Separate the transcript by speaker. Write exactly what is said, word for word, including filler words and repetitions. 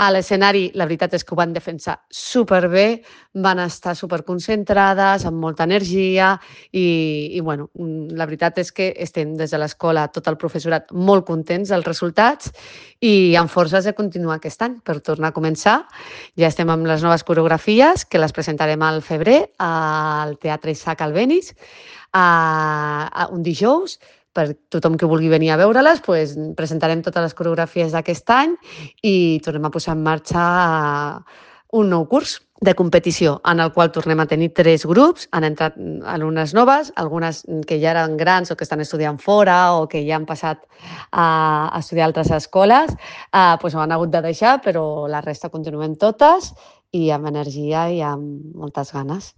Speaker 1: A l'escenari, la veritat és que ho van defensar superbé, van estar superconcentrades, amb molta energia i, i bueno, la veritat és que estem des de l'escola, tot el professorat, molt contents dels resultats i amb forces de continuar aquest any per tornar a començar. Ja estem amb les noves coreografies, que les presentarem al febrer al Teatre Isaac Albéniz, a, a un dijous. Per tothom que vulgui venir a veure-les, pues, presentarem totes les coreografies d'aquest any i tornem a posar en marxa un nou curs de competició en el qual tornem a tenir tres grups. Han entrat alumnes noves, algunes que ja eren grans o que estan estudiant fora o que ja han passat a estudiar a altres escoles, eh, pues ho han hagut de deixar, però la resta continuem totes i amb energia i amb moltes ganes.